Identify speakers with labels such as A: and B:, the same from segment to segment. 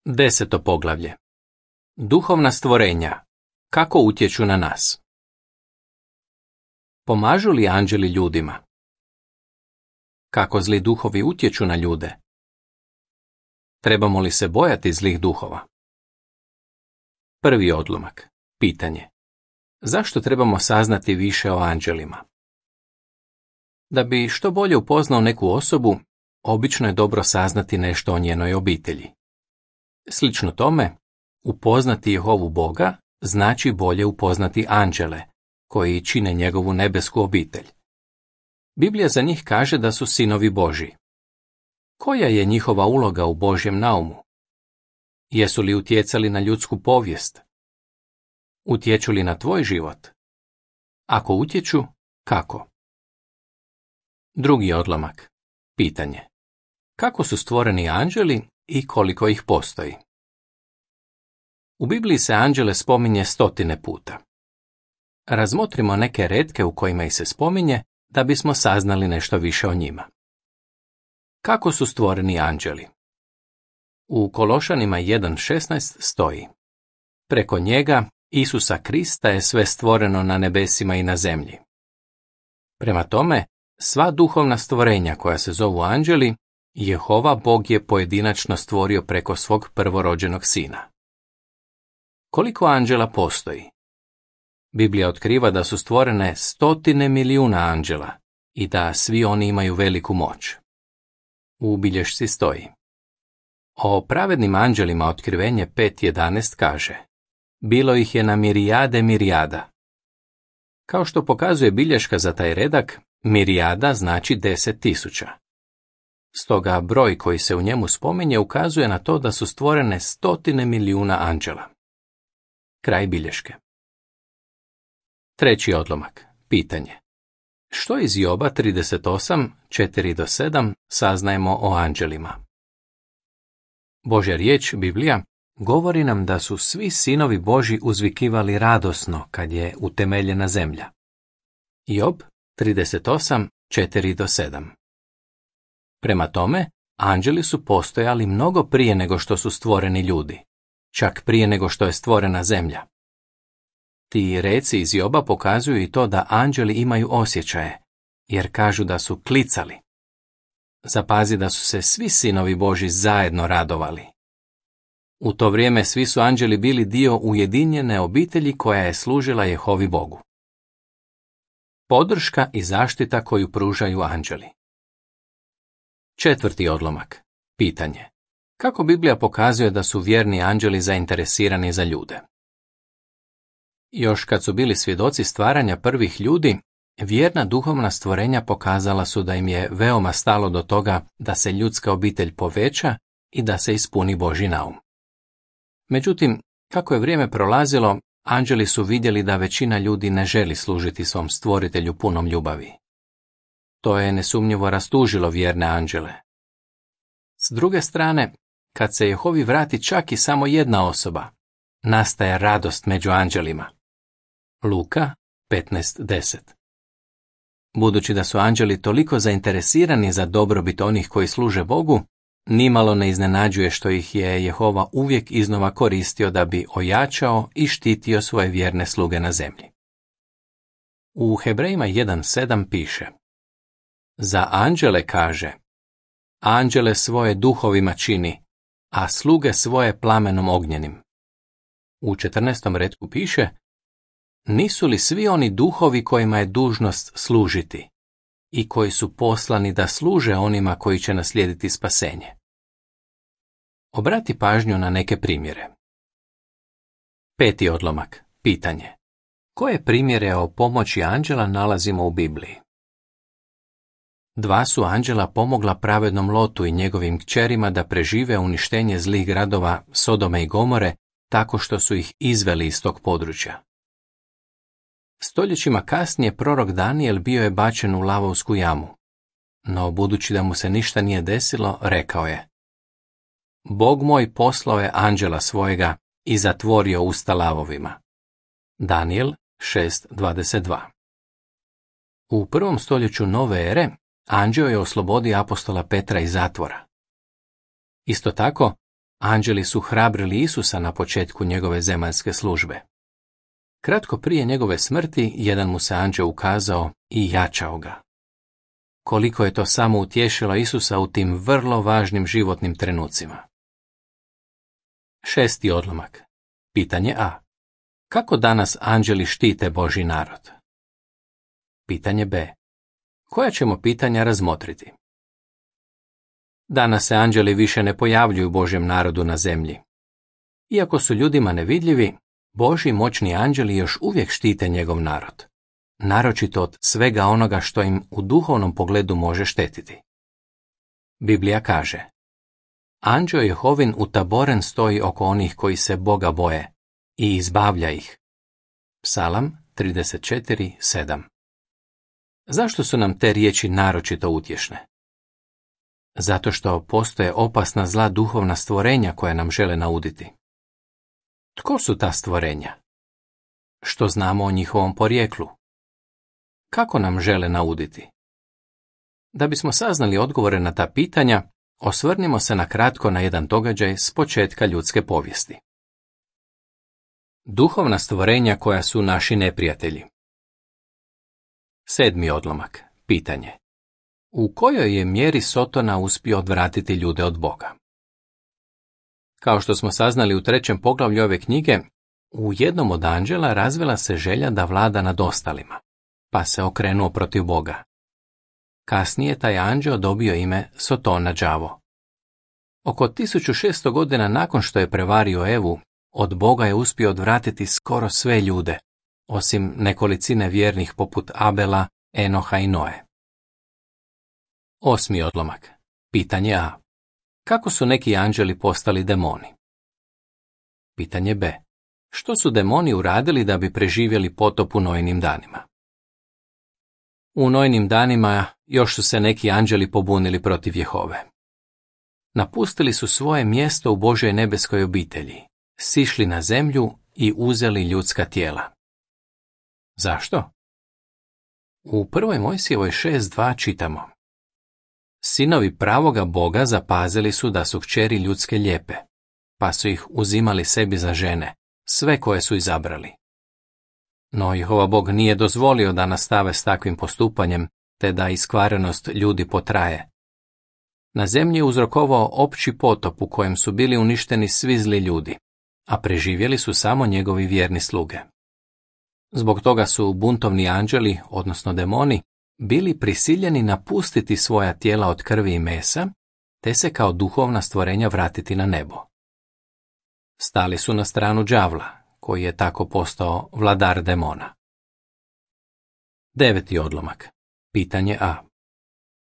A: 10. poglavlje. Duhovna stvorenja. Kako utječu na nas? Pomažu li anđeli ljudima? Kako zli duhovi utječu na ljude? Trebamo li se bojati zlih duhova? Prvi odlomak. Pitanje. Zašto trebamo saznati više o anđelima? Da bi što bolje upoznao neku osobu, obično je dobro saznati nešto o njenoj obitelji. Slično tome, upoznati Jehovu Boga znači bolje upoznati anđele, koji čine njegovu nebesku obitelj. Biblija za njih kaže da su sinovi Božji. Koja je njihova uloga u Božjem naumu? Jesu li utjecali na ljudsku povijest? Utječu li na tvoj život? Ako utječu, kako? Drugi odlomak. Pitanje. Kako su stvoreni anđeli i koliko ih postoji? U Bibliji se anđele spominje 100 puta. Razmotrimo neke retke u kojima ih se spominje da bismo saznali nešto više o njima. Kako su stvoreni anđeli? U Kološanima 1.16 stoji: Preko njega, Isusa Krista, je sve stvoreno na nebesima i na zemlji. Prema tome, sva duhovna stvorenja koja se zovu anđeli, Jehova Bog je pojedinačno stvorio preko svog prvorođenog sina. Koliko anđela postoji? Biblija otkriva da su stvorene 100 milijuna anđela i da svi oni imaju veliku moć. U bilješci stoji: O pravednim anđelima Otkrivenje 5.11 kaže: Bilo ih je na mirijade mirijada. Kao što pokazuje bilješka za taj redak, mirijada znači 10.000. Stoga broj koji se u njemu spominje ukazuje na to da su stvorene 100 milijuna anđela. Kraj bilješke. Treći odlomak. Pitanje. Što iz Joba 38, 4-7 saznajemo o anđelima? Božja riječ, Biblija, govori nam da su svi sinovi Božji uzvikivali radosno kad je utemeljena zemlja. Job 38, 4-7. Prema tome, anđeli su postojali mnogo prije nego što su stvoreni ljudi, čak prije nego što je stvorena zemlja. Ti reci iz Joba pokazuju i to da anđeli imaju osjećaje, jer kažu da su klicali. Zapazi da su se svi sinovi Božji zajedno radovali. U to vrijeme svi su anđeli bili dio ujedinjene obitelji koja je služila Jehovi Bogu. Podrška i zaštita koju pružaju anđeli. Četvrti odlomak. Pitanje. Kako Biblija pokazuje da su vjerni anđeli zainteresirani za ljude? Još kad su bili svjedoci stvaranja prvih ljudi, vjerna duhovna stvorenja pokazala su da im je veoma stalo do toga da se ljudska obitelj poveća i da se ispuni Božji naum. Međutim, kako je vrijeme prolazilo, anđeli su vidjeli da većina ljudi ne želi služiti svom stvoritelju punom ljubavi. To je nesumnjivo rastužilo vjerne anđele. S druge strane, kad se Jehovi vrati čak i samo jedna osoba, nastaje radost među anđelima. Luka 15.10. Budući da su anđeli toliko zainteresirani za dobrobit onih koji služe Bogu, nimalo ne iznenađuje što ih je Jehova uvijek iznova koristio da bi ojačao i štitio svoje vjerne sluge na zemlji. U Hebrejima 1.7 piše: Za anđele kaže: Anđele svoje duhovima čini, a sluge svoje plamenom ognjenim. U 14. retku piše: Nisu li svi oni duhovi kojima je dužnost služiti i koji su poslani da služe onima koji će naslijediti spasenje? Obrati pažnju na neke primjere. Peti odlomak. Pitanje. Koje primjere o pomoći anđela nalazimo u Bibliji? 2 su anđela pomogla pravednom Lotu i njegovim kćerima da prežive uništenje zlih gradova Sodome i Gomore tako što su ih izveli iz tog područja. Stoljećima kasnije prorok Danijel bio je bačen u lavovsku jamu, no budući da mu se ništa nije desilo, rekao je: Bog moj poslao je anđela svojega i zatvorio usta lavovima. Danijel 6.22. U 1. stoljeću nove ere anđeo je oslobodio apostola Petra iz zatvora. Isto tako, Anđeli su hrabrili Isusa na početku njegove zemaljske službe. Kratko prije njegove smrti, jedan mu se anđeo ukazao i jačao ga. Koliko je to samo utješilo Isusa u tim vrlo važnim životnim trenucima. 6. odlomak. Pitanje A. Kako danas anđeli štite Božji narod? Pitanje B. Koja ćemo pitanja razmotriti? Danas se anđeli više ne pojavljuju Božjem narodu na zemlji. Iako su ljudima nevidljivi, Božji moćni anđeli još uvijek štite njegov narod, naročito od svega onoga što im u duhovnom pogledu može štetiti. Biblija kaže: Anđeo Jehovin utaboren stoji oko onih koji se Boga boje i izbavlja ih. Psalam 34:7. Zašto su nam te riječi naročito utješne? Zato što postoje opasna zla duhovna stvorenja koja nam žele nauditi. Tko su ta stvorenja? Što znamo o njihovom porijeklu? Kako nam žele nauditi? Da bismo saznali odgovore na ta pitanja, osvrnimo se na kratko na jedan događaj s početka ljudske povijesti. Duhovna stvorenja koja su naši neprijatelji. 7. odlomak. Pitanje. U kojoj je mjeri Sotona uspio odvratiti ljude od Boga? Kao što smo saznali u 3. poglavlju ove knjige, u jednom od anđela razvila se želja da vlada nad ostalima, pa se okrenuo protiv Boga. Kasnije taj anđeo dobio ime Sotona đavo. Oko 1600 godina nakon što je prevario Evu, od Boga je uspio odvratiti skoro sve ljude, osim nekolicine vjernih poput Abela, Enoha i Noe. 8. odlomak. Pitanje A. Kako su neki anđeli postali demoni? Pitanje B. Što su demoni uradili da bi preživjeli potop u Noinim danima? U Noinim danima još su se neki anđeli pobunili protiv Jehove. Napustili su svoje mjesto u Božjoj nebeskoj obitelji, sišli na zemlju i uzeli ljudska tijela. Zašto? U 1. Mojsijevoj 6.2 čitamo: Sinovi pravoga Boga zapazili su da su kćeri ljudske lijepe, pa su ih uzimali sebi za žene, sve koje su izabrali. No Jehova Bog nije dozvolio da nastave s takvim postupanjem, te da iskvarenost ljudi potraje. Na zemlji je uzrokovao opći potop u kojem su bili uništeni svi zli ljudi, a preživjeli su samo njegovi vjerni sluge. Zbog toga su buntovni anđeli, odnosno demoni, bili prisiljeni napustiti svoja tijela od krvi i mesa, te se kao duhovna stvorenja vratiti na nebo. Stali su na stranu đavla, koji je tako postao vladar demona. 9. odlomak. Pitanje A.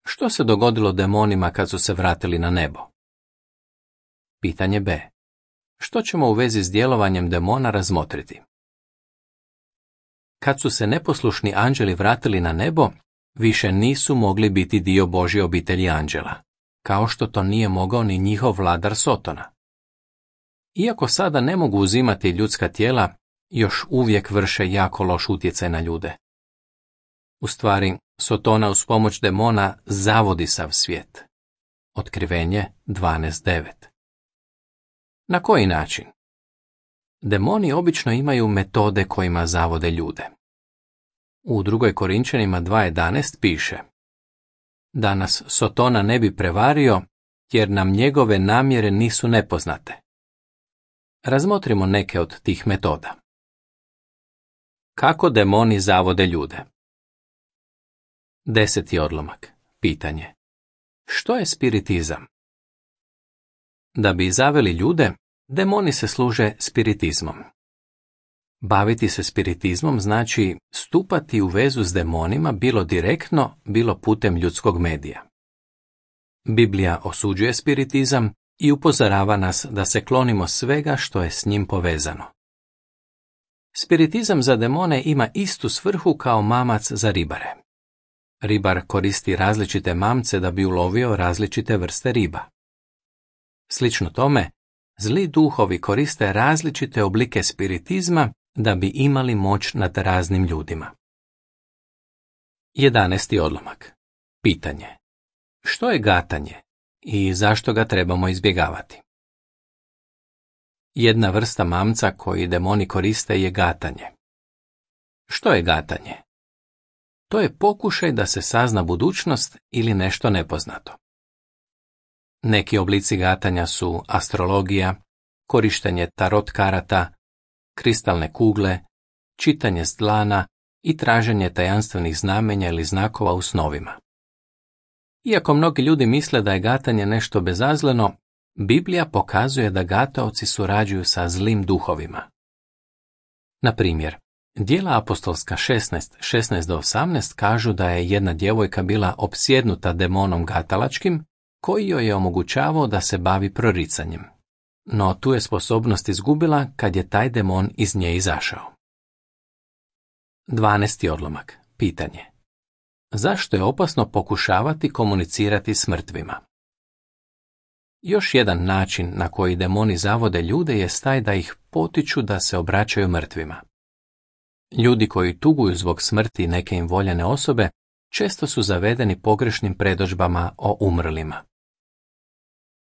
A: Što se dogodilo demonima kad su se vratili na nebo? Pitanje B. Što ćemo u vezi s djelovanjem demona razmotriti? Kad su se neposlušni anđeli vratili na nebo, više nisu mogli biti dio Božje obitelji anđela, kao što to nije mogao ni njihov vladar Sotona. Iako sada ne mogu uzimati ljudska tijela, još uvijek vrše jako loš utjecaj na ljude. U stvari, Sotona uz pomoć demona zavodi sav svijet. Otkrivenje 12.9. Na koji način? Demoni obično imaju metode kojima zavode ljude. U 2. Korinčanima 2.11 piše: Da nas Sotona ne bi prevario, jer nam njegove namjere nisu nepoznate. Razmotrimo neke od tih metoda. Kako demoni zavode ljude? 10. odlomak. Pitanje. Što je spiritizam? Da bi zaveli ljude, demoni se služe spiritizmom. Baviti se spiritizmom znači stupati u vezu s demonima bilo direktno, bilo putem ljudskog medija. Biblija osuđuje spiritizam i upozorava nas da se klonimo svega što je s njim povezano. Spiritizam za demone ima istu svrhu kao mamac za ribare. Ribar koristi različite mamce da bi ulovio različite vrste riba. Slično tome, zli duhovi koriste različite oblike spiritizma da bi imali moć nad raznim ljudima. 11. odlomak. Pitanje. Što je gatanje i zašto ga trebamo izbjegavati? Jedna vrsta mamca koji demoni koriste je gatanje. Što je gatanje? To je pokušaj da se sazna budućnost ili nešto nepoznato. Neki oblici gatanja su astrologija, korištenje tarot karata, kristalne kugle, čitanje s dlana i traženje tajanstvenih znamenja ili znakova u snovima. Iako mnogi ljudi misle da je gatanje nešto bezazleno, Biblija pokazuje da gataoci surađuju sa zlim duhovima. Na primjer, Djela apostolska 16:16-18 kažu da je jedna djevojka bila opsjednuta demonom gatalačkim, koji joj je omogućavao da se bavi proricanjem. No tu je sposobnost izgubila kad je taj demon iz nje izašao. 12. odlomak. Pitanje. Zašto je opasno pokušavati komunicirati s mrtvima? Još jedan način na koji demoni zavode ljude je taj da ih potiču da se obraćaju mrtvima. Ljudi koji tuguju zbog smrti neke im voljene osobe često su zavedeni pogrešnim predodžbama o umrlima.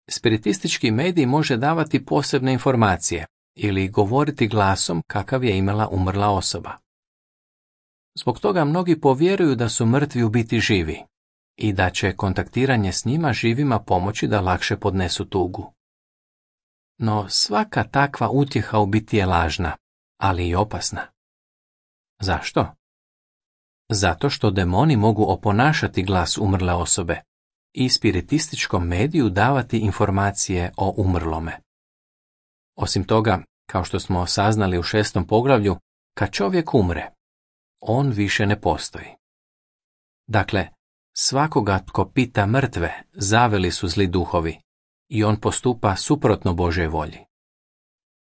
A: Spiritistički medij može davati posebne informacije ili govoriti glasom kakav je imala umrla osoba. Zbog toga mnogi povjeruju da su mrtvi u biti živi i da će kontaktiranje s njima živima pomoći da lakše podnesu tugu. No svaka takva utjeha u biti je lažna, ali i opasna. Zašto? Zato što demoni mogu oponašati glas umrle osobe i spiritističkom mediju davati informacije o umrlome. Osim toga, kao što smo saznali u 6. poglavlju, kad čovjek umre, on više ne postoji. Dakle, svakoga tko pita mrtve zaveli su zli duhovi i on postupa suprotno Božjoj volji.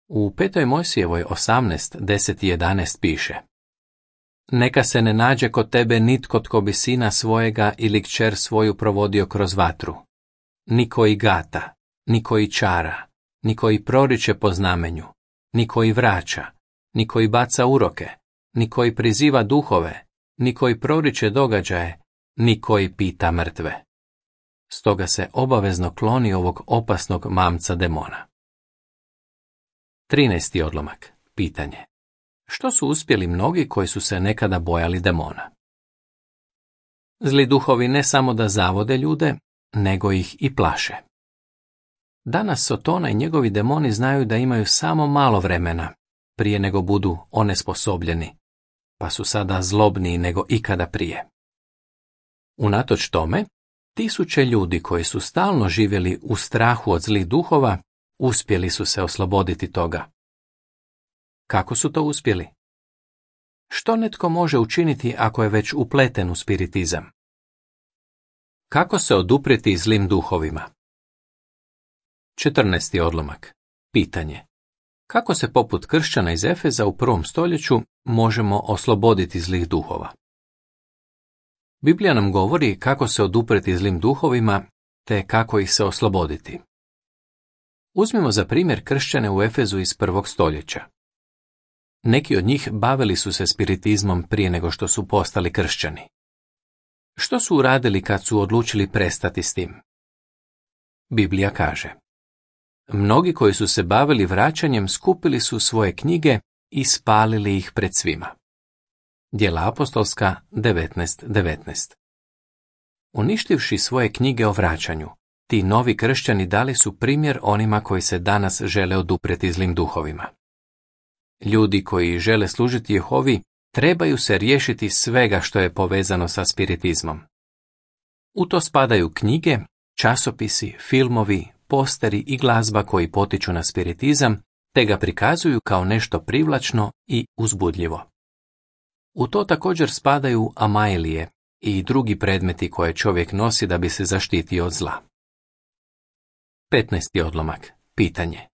A: U 5. Mojsijevoj 18:10 i 11 piše: Neka se ne nađe kod tebe nitko tko bi sina svojega ili kćer svoju provodio kroz vatru, ni koji gata, ni koji čara, ni koji proriče po znamenju, ni koji vraća, ni koji baca uroke, ni koji priziva duhove, ni koji proriče događaje, ni koji pita mrtve. Stoga se obavezno kloni ovog opasnog mamca demona. 13. odlomak. Pitanje. Što su uspjeli mnogi koji su se nekada bojali demona? Zli duhovi ne samo da zavode ljude, nego ih i plaše. Danas Sotona i njegovi demoni znaju da imaju samo malo vremena prije nego budu onesposobljeni, pa su sada zlobniji nego ikada prije. Unatoč tome, tisuće ljudi koji su stalno živjeli u strahu od zlih duhova, uspjeli su se osloboditi toga. Kako su to uspjeli? Što netko može učiniti ako je već upleten u spiritizam? Kako se oduprijeti zlim duhovima? 14. odlomak. Pitanje. Kako se poput kršćana iz Efeza u 1. stoljeću možemo osloboditi zlih duhova? Biblija nam govori kako se oduprijeti zlim duhovima, te kako ih se osloboditi. Uzmimo za primjer kršćane u Efezu iz 1. stoljeća. Neki od njih bavili su se spiritizmom prije nego što su postali kršćani. Što su uradili kad su odlučili prestati s tim? Biblija kaže: Mnogi koji su se bavili vraćanjem skupili su svoje knjige i spalili ih pred svima. Djela apostolska 19:19. Uništivši svoje knjige o vraćanju, ti novi kršćani dali su primjer onima koji se danas žele oduprijeti zlim duhovima. Ljudi koji žele služiti Jehovi trebaju se riješiti svega što je povezano sa spiritizmom. U to spadaju knjige, časopisi, filmovi, posteri i glazba koji potiču na spiritizam, te ga prikazuju kao nešto privlačno i uzbudljivo. U to također spadaju amailije i drugi predmeti koje čovjek nosi da bi se zaštitio od zla. 15. odlomak. Pitanje.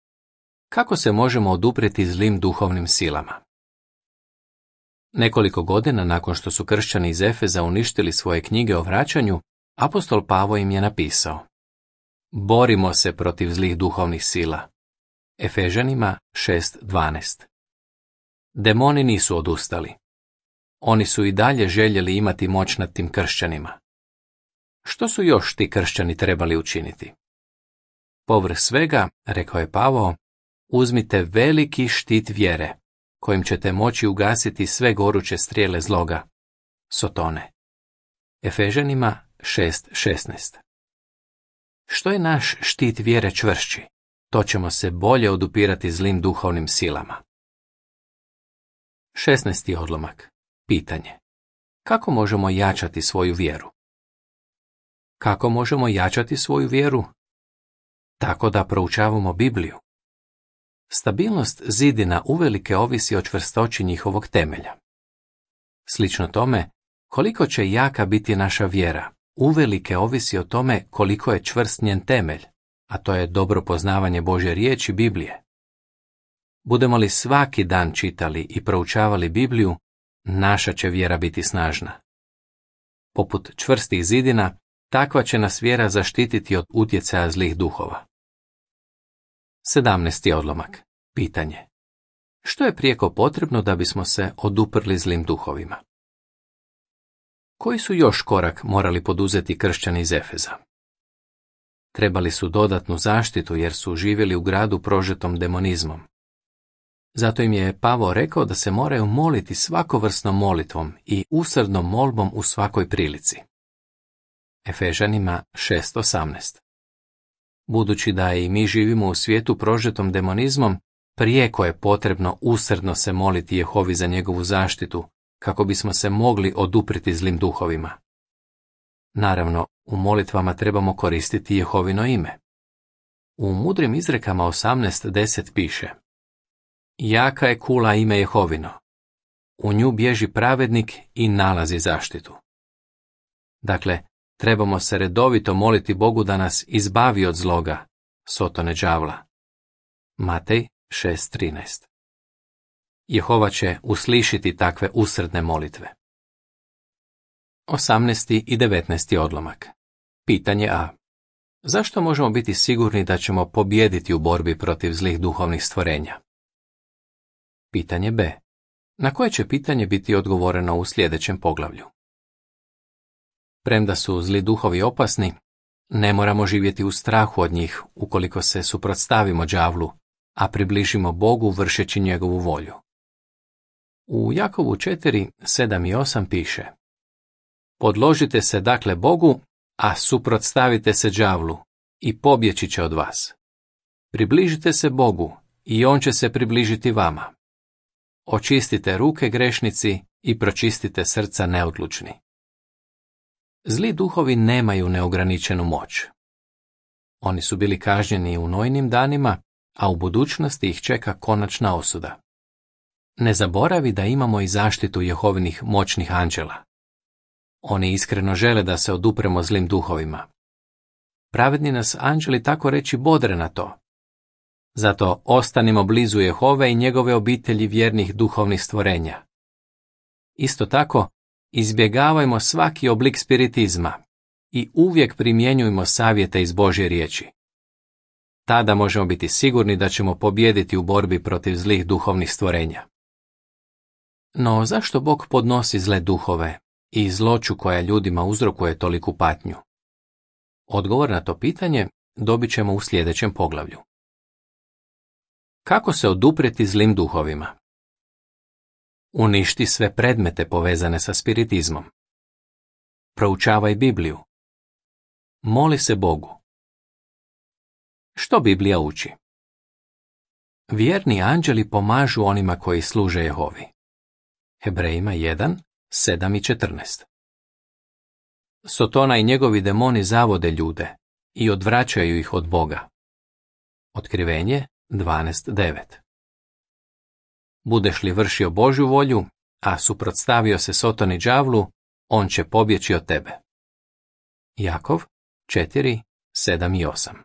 A: Kako se možemo oduprijeti zlim duhovnim silama? Nekoliko godina nakon što su kršćani iz Efeza uništili svoje knjige o vraćanju, apostol Pavao im je napisao: Borimo se protiv zlih duhovnih sila. Efežanima 6:12. Demoni nisu odustali. Oni su i dalje željeli imati moć nad tim kršćanima. Što su još ti kršćani trebali učiniti? Povrh svega, rekao je Pavao, uzmite veliki štit vjere, kojim ćete moći ugasiti sve goruće strijele zloga, Sotone. Efežanima 6:16. Što je naš štit vjere čvršći, to ćemo se bolje odupirati zlim duhovnim silama. 16. odlomak. Pitanje. Kako možemo jačati svoju vjeru? Kako možemo jačati svoju vjeru? Tako da proučavamo Bibliju. Stabilnost zidina uvelike ovisi o čvrstoći njihovog temelja. Slično tome, koliko će jaka biti naša vjera, uvelike ovisi o tome koliko je čvrst njen temelj, a to je dobro poznavanje Božje riječi Biblije. Budemo li svaki dan čitali i proučavali Bibliju, naša će vjera biti snažna. Poput čvrstih zidina, takva će nas vjera zaštititi od utjecaja zlih duhova. 17. odlomak. Pitanje. Što je prijeko potrebno da bismo se oduprli zlim duhovima? Koji su još korak morali poduzeti kršćani iz Efeza? Trebali su dodatnu zaštitu jer su živjeli u gradu prožetom demonizmom. Zato im je Pavao rekao da se moraju moliti svakovrsnom molitvom i usrdnom molbom u svakoj prilici. Efežanima 6:18. Budući da i mi živimo u svijetu prožetom demonizmom, prijeko je potrebno usrdno se moliti Jehovi za njegovu zaštitu, kako bismo se mogli odupriti zlim duhovima. Naravno, u molitvama trebamo koristiti Jehovino ime. U mudrim izrekama 18:10 piše: Jaka je kula ime Jehovino. U nju bježi pravednik i nalazi zaštitu. Dakle, trebamo se redovito moliti Bogu da nas izbavi od zloga, Sotone đavla. Matej 6:13. Jehova će uslišiti takve usrdne molitve. 18. i 19. odlomak. Pitanje A. Zašto možemo biti sigurni da ćemo pobijediti u borbi protiv zlih duhovnih stvorenja? Pitanje B. Na koje će pitanje biti odgovoreno u sljedećem poglavlju? Premda su zli duhovi opasni, ne moramo živjeti u strahu od njih ukoliko se suprotstavimo đavlu, a približimo Bogu vršeći njegovu volju. U Jakovu 4:7 i 8 piše: Podložite se dakle Bogu, a suprotstavite se đavlu, i pobjeći će od vas. Približite se Bogu, i on će se približiti vama. Očistite ruke grešnici i pročistite srca neodlučni. Zli duhovi nemaju neograničenu moć. Oni su bili kažnjeni u Noinim danima, a u budućnosti ih čeka konačna osuda. Ne zaboravi da imamo i zaštitu Jehovinih moćnih anđela. Oni iskreno žele da se odupremo zlim duhovima. Pravedni nas anđeli tako reći bodre na to. Zato ostanimo blizu Jehove i njegove obitelji vjernih duhovnih stvorenja. Isto tako, izbjegavajmo svaki oblik spiritizma i uvijek primjenjujmo savjete iz Božje riječi. Tada možemo biti sigurni da ćemo pobijediti u borbi protiv zlih duhovnih stvorenja. No zašto Bog podnosi zle duhove i zloću koja ljudima uzrokuje toliku patnju? Odgovor na to pitanje dobit ćemo u sljedećem poglavlju. Kako se oduprijeti zlim duhovima? Uništi sve predmete povezane sa spiritizmom. Proučavaj Bibliju. Moli se Bogu. Što Biblija uči? Vjerni anđeli pomažu onima koji služe Jehovi. Hebrejima 1:7 i 14. Sotona i njegovi demoni zavode ljude i odvraćaju ih od Boga. Otkrivenje 12:9. Budeš li vršio Božju volju, a suprotstavio se Sotoni đavlu, on će pobjeći od tebe. Jakov 4:7 i 8.